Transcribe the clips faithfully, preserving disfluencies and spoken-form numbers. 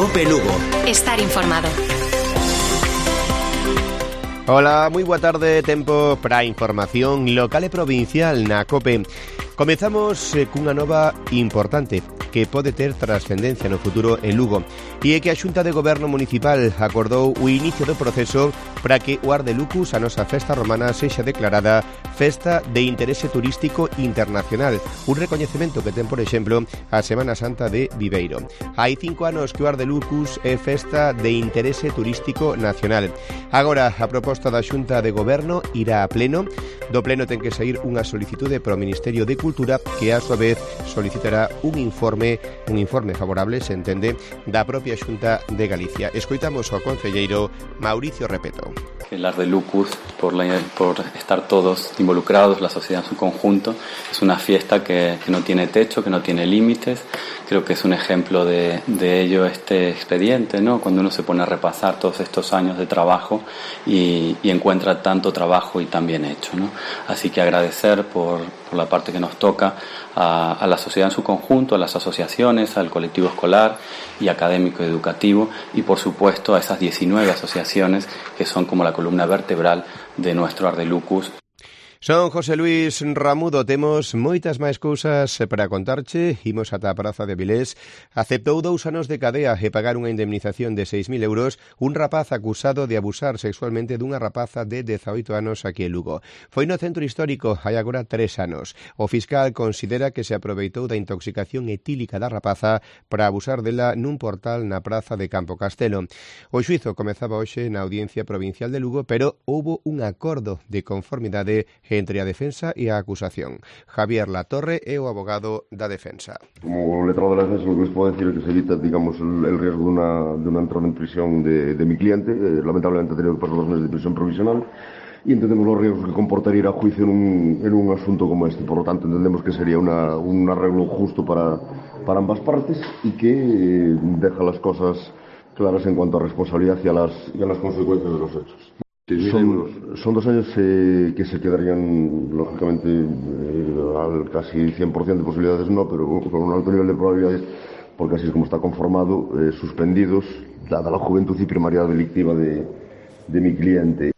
Cope Lugo. Estar informado. Hola, moi boa tarde, tempo para a información local e provincial na Cope. Comezamos eh, cunha nova importante que pode ter trascendencia no futuro en Lugo, e é que a Xunta de Goberno Municipal acordou o inicio do proceso para que o Ar de Lucus, a nosa festa romana, sexa declarada Festa de Interese Turístico Internacional, un recoñecemento que ten, por exemplo, a Semana Santa de Viveiro. Hai cinco anos que o Ar de Lucus é Festa de Interese Turístico Nacional. Agora, a proposta da Xunta de Goberno irá a pleno. Do pleno ten que sair unha solicitude para o Ministerio de Cultura, que a súa vez solicitará un informe, un informe favorable, se entende, da propia Xunta de Galicia. Escoitamos ao concelleiro Mauricio Repeto. El Ar de Lucus, por, la, por estar todos involucrados, la sociedad en su conjunto, es una fiesta que, que no tiene techo, que no tiene límites. Creo que es un ejemplo de, de ello este expediente, ¿no? Cuando uno se pone a repasar todos estos años de trabajo y, y encuentra tanto trabajo y tan bien hecho, ¿no? Así que agradecer por, por la parte que nos toca a, a la sociedad en su conjunto, a las asociaciones, al colectivo escolar y académico y educativo, y por supuesto a esas diecinueve asociaciones que son como la columna vertebral de nuestro Ar de Lucus. Son José Luis Ramudo, temos moitas máis cousas para contarche. Imos ata a Praza de Avilés. Aceptou dous anos de cadea e pagar unha indemnización de seis mil euros un rapaz acusado de abusar sexualmente dunha rapaza de dezaoito anos aquí en Lugo. Foi no centro histórico hai agora tres anos. O fiscal considera que se aproveitou da intoxicación etílica da rapaza para abusar dela nun portal na Praza de Campo Castelo. O xuízo comezaba hoxe na Audiencia Provincial de Lugo, pero houbo un acordo de conformidade entre a defensa e a acusación. Javier Latorre é o abogado da defensa. Como letrado de la defensa, lo que les puedo decir es que se evita, digamos, el, el riesgo de una, de una entrada en prisión de, de mi cliente. Eh, lamentablemente ha tenido que pasar dos meses de prisión provisional y entendemos los riesgos que comportaría ir a juicio en un, en un asunto como este. Por lo tanto, entendemos que sería una, un arreglo justo para, para ambas partes y que eh, deja las cosas claras en cuanto a responsabilidad y a las, y a las consecuencias de los hechos. Son, son dos años eh, que se quedarían, lógicamente, eh, al casi cien por ciento de posibilidades no, pero con un alto nivel de probabilidades, porque así es como está conformado, eh, suspendidos, dada la juventud y primariedad delictiva de, de mi cliente.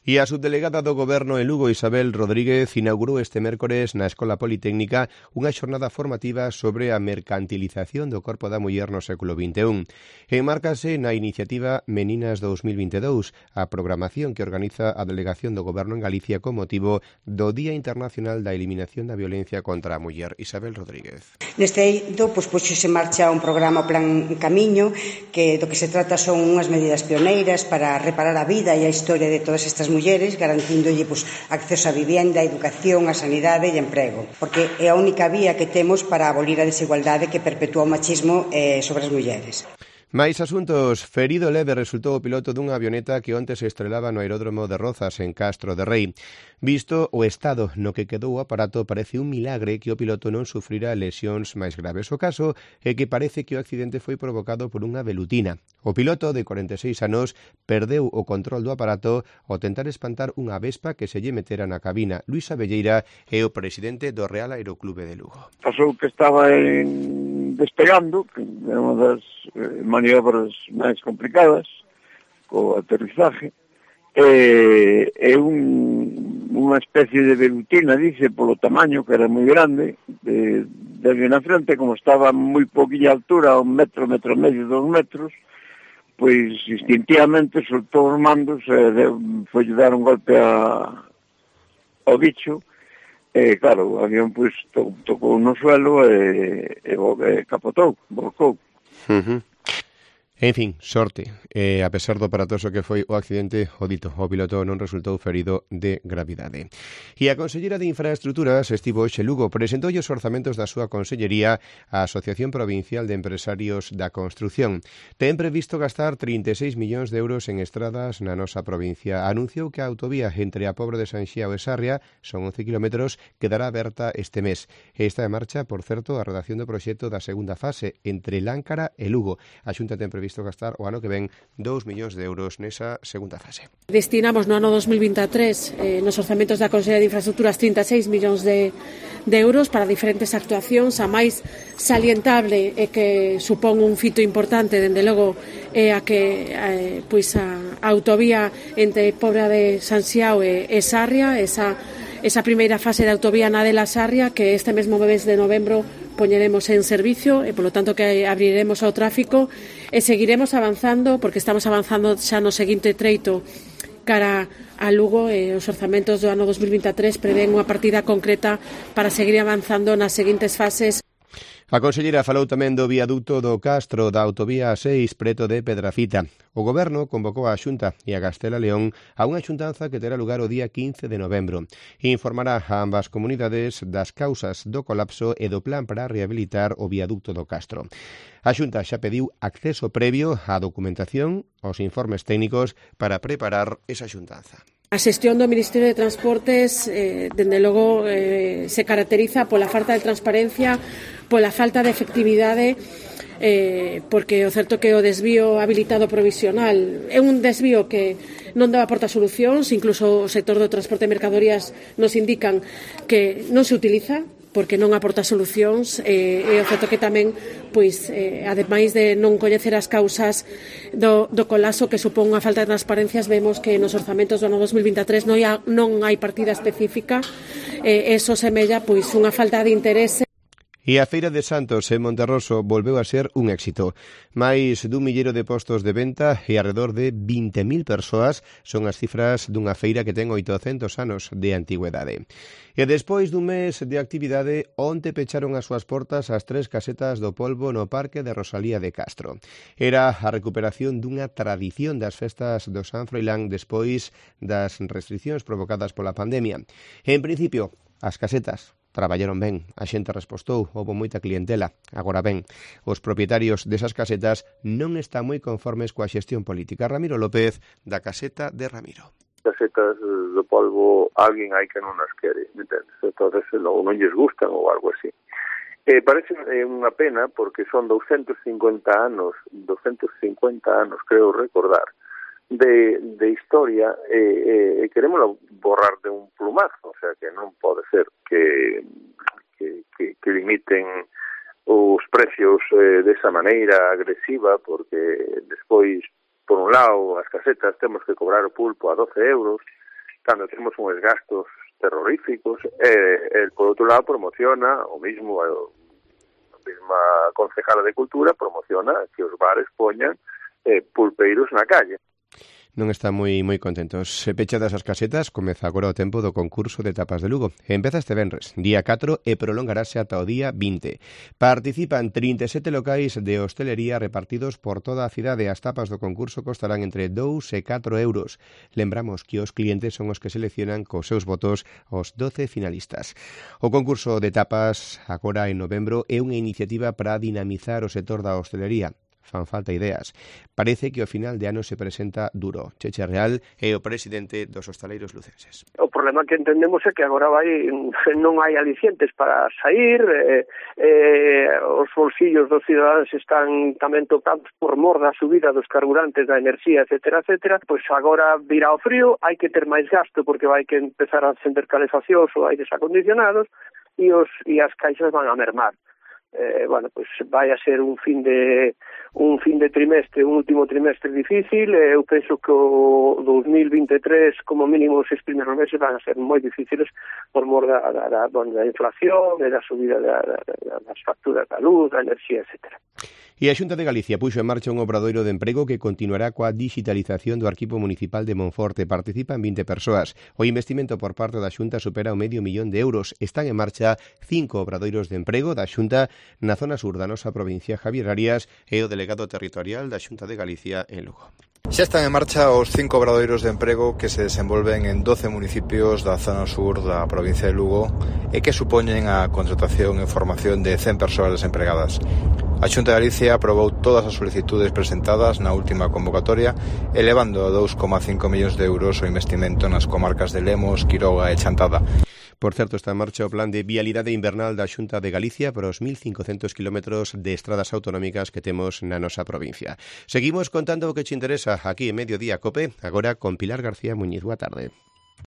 E a subdelegada do Goberno en Lugo, Isabel Rodríguez, inaugurou este mércores na Escola Politécnica unha xornada formativa sobre a mercantilización do corpo da muller no século vinte e un. Enmárcase na iniciativa Meninas dos mil vinte e dous, a programación que organiza a Delegación do Goberno en Galicia con motivo do Día Internacional da Eliminación da Violencia contra a Muller. Isabel Rodríguez. Neste eido, pois, puxose en marcha un programa Plan Camiño, que do que se trata son unhas medidas pioneiras para reparar a vida e a historia de todas estas mulleres, garantíndolle pois, acceso á vivienda, a educación, a sanidade e emprego, porque é a única vía que temos para abolir a desigualdade que perpetúa o machismo eh, sobre as mulleres. Mais asuntos. Ferido leve resultou o piloto dunha avioneta que onte se estrelaba no aeródromo de Rozas, en Castro de Rei. Visto o estado no que quedou o aparato, parece un milagre que o piloto non sufrira lesións máis graves. O caso é que parece que o accidente foi provocado por unha velutina. O piloto, de cuarenta e seis anos, perdeu o control do aparato ao tentar espantar unha vespa que se lle metera na cabina. Luis Abelleira é o presidente do Real Aeroclube de Lugo. Pasou que estaba en... despegando, que é unha das eh, maniobras máis complicadas, co aterrizaje, e, e un, unha especie de velutina, dice, polo tamaño, que era moi grande, de, de na frente, como estaba moi poquilla altura, un metro, metro e medio, dos metros, pois instintivamente soltou os mandos e foi dar un golpe a, ao bicho. E, claro, o avión pois, to, tocou no suelo e, e, e capotou, volcou. Uh-huh. En fin, sorte. Eh, a pesar do aparatoso que foi o accidente, o dito, o piloto non resultou ferido de gravidade. E a Consellera de Infraestructuras estivo hoxe Lugo, presentou os orzamentos da súa consellería á Asociación Provincial de Empresarios da Construción. Ten previsto gastar trinta e seis millóns de euros en estradas na nosa provincia. Anunciou que a autovía entre a Pobra de Sanxiao e Sarria, son once kilómetros, quedará aberta este mes. Está en marcha, por certo, a redacción do proxecto da segunda fase entre Láncara e Lugo. A Xunta ten previsto previsto gastar o ano que ven dous millóns de euros nesa segunda fase. Destinamos no ano dos mil vinte e tres eh, nos orzamentos da Consellería de Infraestructuras trinta e seis millóns de, de euros para diferentes actuacións. A máis salientable é que supón un fito importante, dende logo, é a que eh, pois a, a autovía entre Pobra de San Xiao e, e Sarria, esa, esa primeira fase de autovía na de la Sarria, que este mesmo mes de novembro poñeremos en servicio e, polo tanto, que abriremos ao tráfico e seguiremos avanzando, porque estamos avanzando xa no seguinte treito cara a Lugo, e os orzamentos do ano dos mil vinte e tres prevén unha partida concreta para seguir avanzando nas seguintes fases. A conselleira falou tamén do viaducto do Castro da autovía seis preto de Pedrafita. O Goberno convocou a Xunta e a Castela León a unha xuntanza que terá lugar o día quince de novembro. Informará a ambas comunidades das causas do colapso e do plan para rehabilitar o viaducto do Castro. A Xunta xa pediu acceso previo á documentación, aos informes técnicos para preparar esa xuntanza. A xestión do Ministerio de Transportes, eh, dende logo, eh, se caracteriza pola falta de transparencia, pola falta de efectividade, eh, porque o certo que o desvío habilitado provisional é un desvío que non dá aporta solucións, incluso o sector do transporte de mercadorías nos indican que non se utiliza, porque non aporta solucións, e, e o certo que tamén, pois, eh, ademais de non coñecer as causas do, do colapso que supón unha falta de transparencias, vemos que nos orzamentos do ano dos mil vinte e tres non hai, non hai partida específica, e eh, eso semella, pois, unha falta de interese. E a Feira de Santos en Monterroso volveu a ser un éxito. Máis dun milleiro de postos de venta e alrededor de vinte mil persoas son as cifras dunha feira que ten oitocentos anos de antigüedade. E despois dun mes de actividade, onte pecharon as súas portas as tres casetas do polvo no Parque de Rosalía de Castro. Era a recuperación dunha tradición das festas do San Froilán despois das restriccións provocadas pola pandemia. En principio, as casetas traballaron ben, a xente respostou, houve moita clientela. Agora ben, os propietarios desas casetas non están moi conformes coa xestión política. Ramiro López, da caseta de Ramiro. Casetas do polvo, alguén hai que non as quere, entendes? Entonces, logo non lles gustan ou algo así. Eh, parece unha pena porque son doscientos cincuenta anos, doscientos cincuenta anos, creo recordar, de, de historia, e eh, eh, queremos borrar de un plumazo, o sea que non pode ser que, que, que, que limiten os precios eh, desa maneira agresiva, porque despois, por un lado, as casetas temos que cobrar o pulpo a doce euros, cando temos uns gastos terroríficos, e, e por outro lado promociona o mismo, a mesma concejala de Cultura promociona que os bares poñan eh, pulpeiros na calle. Non están moi moi contentos. Se pechadas as casetas, comeza agora o tempo do concurso de tapas de Lugo. Empeza este venres, día catro, e prolongarase ata o día vinte. Participan trinta e sete locais de hostelería repartidos por toda a cidade. As tapas do concurso costarán entre dous e catro euros. Lembramos que os clientes son os que seleccionan cos seus votos os doce finalistas. O concurso de tapas, agora en novembro, é unha iniciativa para dinamizar o sector da hostelería. Fan falta ideas. Parece que o final de ano se presenta duro. Cheche Real é o presidente dos hostaleiros lucenses. O problema que entendemos é que agora vai non hai alicientes para sair, eh, eh, os bolsillos dos cidadáns están tamén tocados por mor da subida dos carburantes, da enerxía, etcétera, etcétera. Pois agora virá o frío, hai que ter máis gasto porque vai que empezar a acender calefaccións ou aires acondicionados e, os, e as caixas van a mermar. Eh, bueno, pues vai a ser un fin de un fin de trimestre, un último trimestre difícil. eh, eu penso que o dos mil vinte e tres como mínimo os seis primeiros meses van a ser moi difíciles por mor da, da, da, bueno, da inflación e da subida da, da, da, das facturas da luz, da enerxía, etcétera. E a Xunta de Galicia puxo en marcha un obradoiro de emprego que continuará coa digitalización do Arquivo Municipal de Monforte. Participan vinte persoas. O investimento por parte da Xunta supera o medio millón de euros. Están en marcha cinco obradoiros de emprego da Xunta na zona sur da nosa provincia. Javier Arias é o delegado territorial da Xunta de Galicia en Lugo. Xa están en marcha os cinco obradoiros de emprego que se desenvolven en doce municipios da zona sur da provincia de Lugo e que supoñen a contratación e formación de cen persoas desempregadas. A Xunta de Galicia aprobou todas as solicitudes presentadas na última convocatoria, elevando a dous coma cinco millóns de euros o investimento nas comarcas de Lemos, Quiroga e Chantada. Por certo, está en marcha o plan de vialidade invernal da Xunta de Galicia para os mil cincocentos kilómetros de estradas autonómicas que temos na nosa provincia. Seguimos contando o que che interesa aquí en Mediodía Cope, agora con Pilar García Muñiz. Boa tarde.